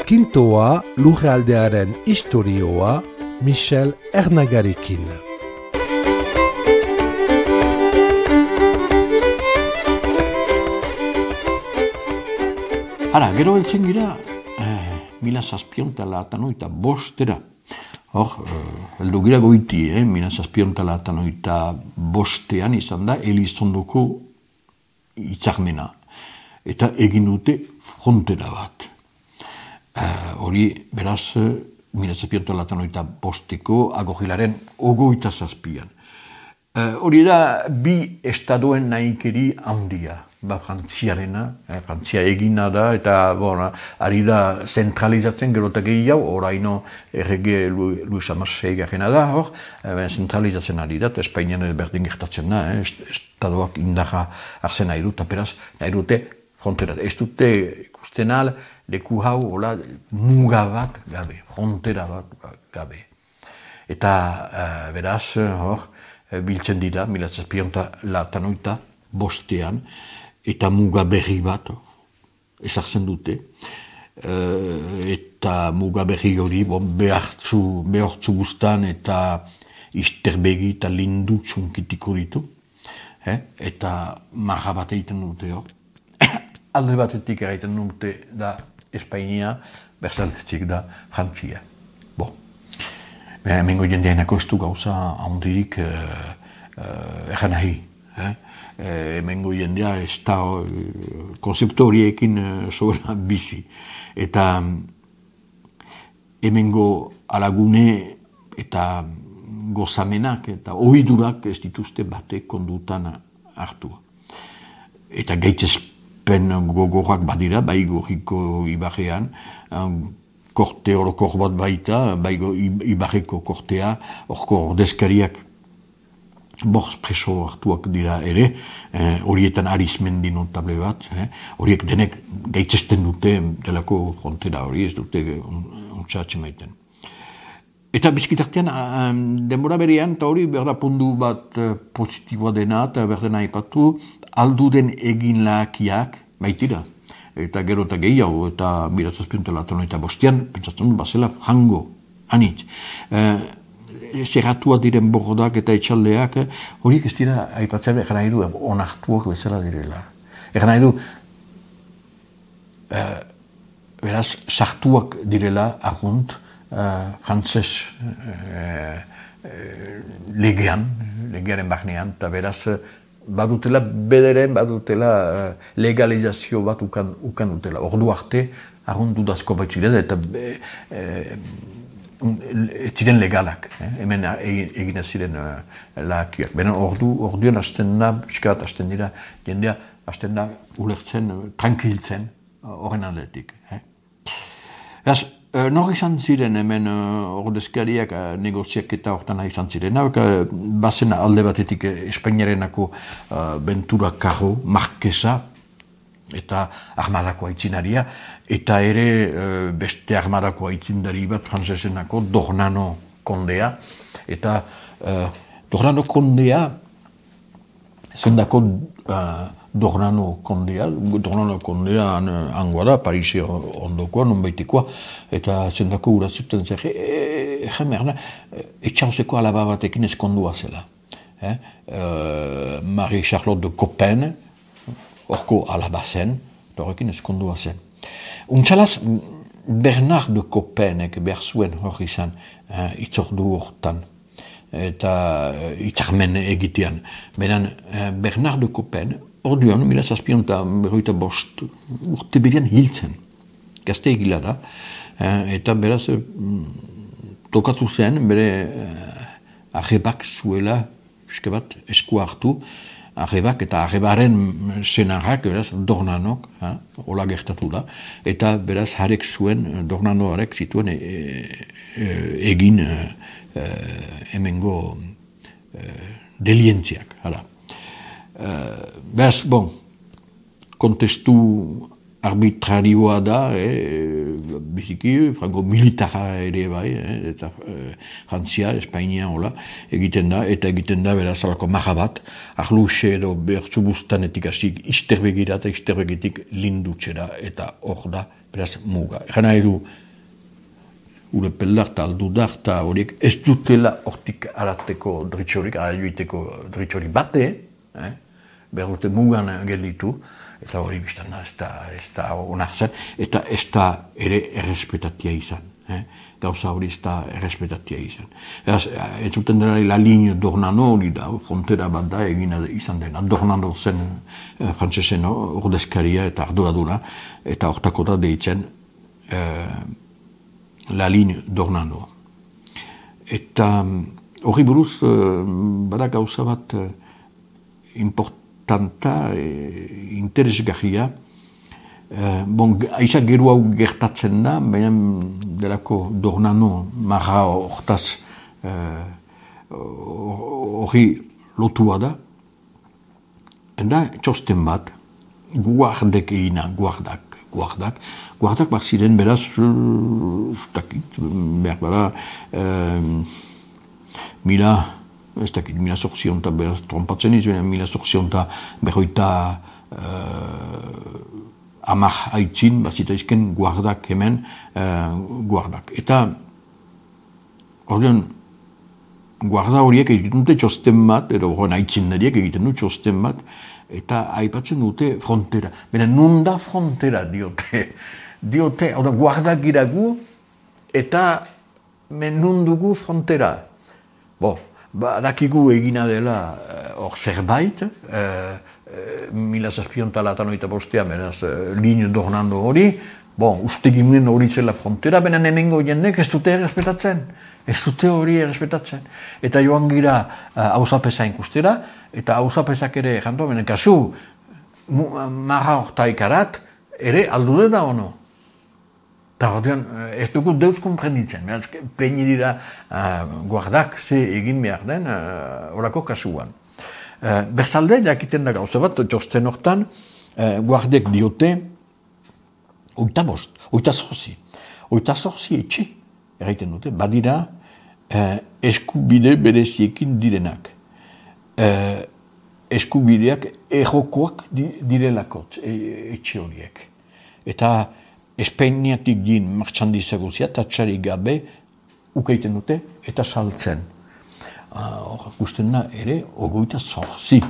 Kintoa lurraldearen istorioa Michel Ernagarekin. Hala, gero heltzen gira, 1785 Hor, heldu gira goiti, 1785 izan da Elizondoko hitzarmena. Eta egin dute frontera bat. Hori, beraz, 1785ko agogilaren 27an. Hori da, bi estadoen nahikeri handia. Frantziarena, Frantzia egina da, eta ari da zentralizatzen gerotak gehiago, oraino errege Luis Amasei garena da, zentralizatzen ari da, eta Espainian berdin gertatzen da, estadoak indarra hartzen nahi dut, eta beraz, nahi dute frontera. Ez dute ikusten al, leku hau, muga bat gabe, frontera bat gabe. Eta beraz, biltzen dira, 1785 eta muga berri bat ezartzen dute. Eta muga berri hori behartzu guztan eta isterbegi eta lindu txunkitiko ditu. Eta marra bat egiten dute hor. Alde batetik egiten dute da Espainia, berzaletik da Frantzia. Hemengo jendeainako ez du gauza handirik egan nahi. Hemengo jendea ez da konzeptu horiekin sobera bizi. Eta hemengo alagune eta gozamenak eta ohidurak ez dituzte batek kondutan hartu. Eta gaitzespen gogorrak badira, bai gorriko ibarrean, korte orokor bat baita, bai ibarreko kortea, orko ordezkariak preso hartuak dira ere, horietan Arizmendi notable bat, horiek denek gaitzesten dute delako frontera hori, ez dute untsatzen maiten. Eta bizkitartean, denbora berean, eta hori berda pundu bat positiboa dena, eta berdena aipatu, alduden egin lahakiak baitira. Eta gero eta gehiago, eta 1785an, pentsatzen bazela jango, anitz. Zerratua diren borrodak eta etxaldeak, horiek ez dira, aipatzen egan nahi du, onartuak bezala direla. Egan nahi du, beraz, sartuak direla agunt, frantzes legearen barnean, eta beraz, badutela bederen, badutela legalizazio bat ukan dutela. Ordu arte, agunt dudazko baitziren, eta ez ziren legalak, hemen egin ziren lahakiak. Benen orduan hasten da, piskat hasten dira, jendea hasten da ulertzen, tranquiltzen horren aldetik. Nor izan ziren hemen ordezkariak negoziak eta hortan izan ziren. Bazen alde batetik Espainiarenako Ventura Carro, Marquesa, eta armadako aitzinaria, eta ere beste armadako aitzindari bat frantzesenako Dornano kondea, eta Dornano kondea, zendako Dornano kondea hangoa da, Parisi ondokoa, nonbaitekoa, eta zendako urazuten zer, jamerna, etxauzeko alaba batekin ezkondua zela. Marie Charlotte de Coppen, horko alaba zen, eta horrekin ezkondua zen. Untxalaz, Bernard de Coppenek behar zuen hor izan itzordu hortan, eta itzarmen egitean. Benen, Bernard de Coppen, orduan, 1785 urte berean hiltzen. Gazte egila da, eta beraz, tokatu zen, bere arrebak zuela, eske bat, esku hartu, arrebak eta arrebaren senarrak, beraz, Dornanok, hola gertatu da, eta beraz, harek zuen, Dornanoarek zituen egin hemengo delientziak, hala. Beraz, kontestu arbitrarioa da, biziki, frango militara ere bai, eta Frantzia, Espainia, hola, egiten da beraz alako maha bat, ahluxe edo behartzu buztanetik hasik isterbegira eta isterbegitik lindutxera, eta hor da, beraz muga. Egan nahi du, ure peldarta, aldudarta, horiek ez dutela hortik arateko dritxorik, araioiteko dritxorik bate, behar dute mugan gelditu, eta hori biztan da, ez da onartzen, eta ez da ere errespetatia izan. Gauza hori ez da errespetatia izan. Ez duten dena la linea Dornano hori da, frontera bat da egina izan dena. Dornano zen frantzesen ordezkaria eta arduraduna, eta hortako da deitzen la linea Dornano. Eta hori buruz, bada gauza bat importanta, interesgarria. Aiza gero hau gertatzen da, baina delako Dornano marra hortaz hori lotua da. Eta txosten bat, guardek egina, guardak bat ziren beraz, behar bada, mila sortzionta, beraz trompatzen izan, mila sortzionta berroita amak haitzin, bazita izken guardak hemen, guardak. Eta, ordean, guarda horiek egiten dute txosten bat, edo horren haitzin nariek egiten dute txosten bat, eta aipatzen dute frontera. Baina nun da frontera diote. Diote, guardak iragu, eta nun dugu frontera. Dakigu egina dela hor zerbait, 1785, beraz, linea Dornano hori, uste ginen hori zela frontera, baina hemengo jendek ez dute errespetatzen. Ez dute hori errespetatzen. Eta joan gira hauzapesa inkustera, eta hauzapesak ere janto, benen kasu, marra hortaikarat, ere aldude da ono. Eta horrean, ez dugu deuz komprenditzen. Peini dira guardak ze egin behar den horako kasuan. Berzalde, jakiten da gauza bat, txosten hortan, guardek diote, oita zorzi etxe, erraiten dute, badira eskubide bereziekin direnak. Eskubideak errokoak direlakot etxe horiek. Eta Espainiatik gin martxandizaguzia, tatxarik gabe ukaiten dute eta saltzen. Hor gusten da ere, ogoita zorzi.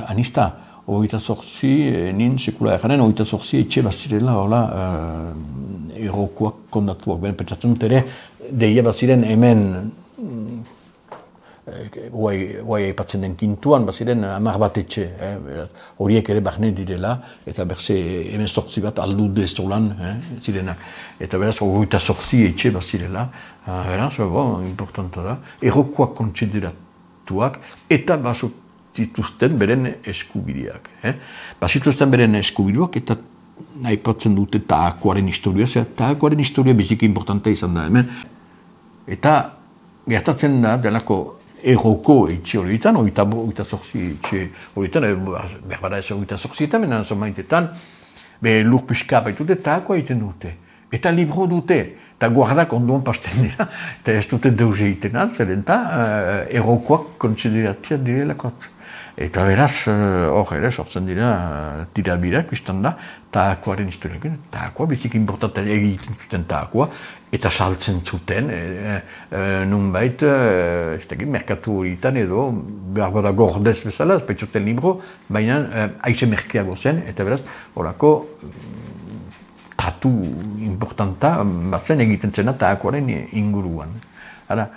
Anista, ogoita zorzi, nin sekula erjaren, ogoita zorzi etxe bazirela, hola, errokoak kondatuak. Ben, pentsatzen dut ere, deia baziren hemen, guai aipatzen den kintuan, baziren 10 bat etxe, horiek ere bahne direla, eta berze hemen zortzi bat aldude zolan, zirenak. Eta beraz, ogoita zortzi etxe bazirela, beraz, importanta da, errokoak kontsideratuak, eta bazituzten beren eskubideak. Bazituzten beren eskubideak, eta aipatzen dute Taakoaren historia, Taakoaren historia biziki importanta izan da hemen, eta gertatzen da, delako erroko etxe horietan, oita zorzi etxe horietan, berbara ez oita zorzietan, menan zomaitetan, lur pixka baitute, Taakoa egiten dute. Eta libro dute, eta guardak ondoan pasten dira, eta ez dute deus egiten altzeren, eta errokoak kontsideratia direlakot. Eta beraz, hor ere, sortzen dira tirabirak, biztan da, Taakoaren historiak. Taakoa, bizik importanten egiten zuten Taakoa, eta saltzen zuten, nunbait, merkatu horietan edo, behar bada gordez bezala, ez baitzuten libro, baina aize merkeago zen, eta beraz, horako, tratu importanta, batzen egiten zena Taakoaren inguruan. Hala,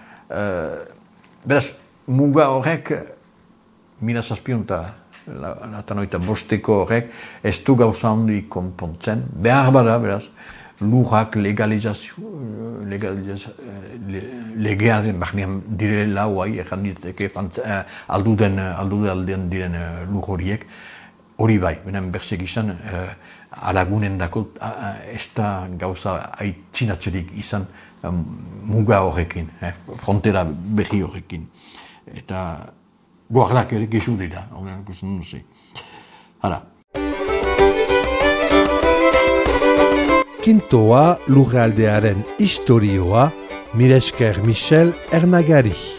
beraz, muga horrek, 1785 horrek ez du gauza handi konpontzen, behar bada, beraz, lurrak legearen bahnean dire lauai, egan diteke aldude diren lur horiek, hori bai, benen berzek izan, alagunen dako ez da gauza aitzinatzerik izan muga horrekin, frontera berri horrekin. Eta guardak ere gezu dira, horrean ikusten duzi. Hala. Quintoa lurraldearen historioa, mila esker Michel Ernagari.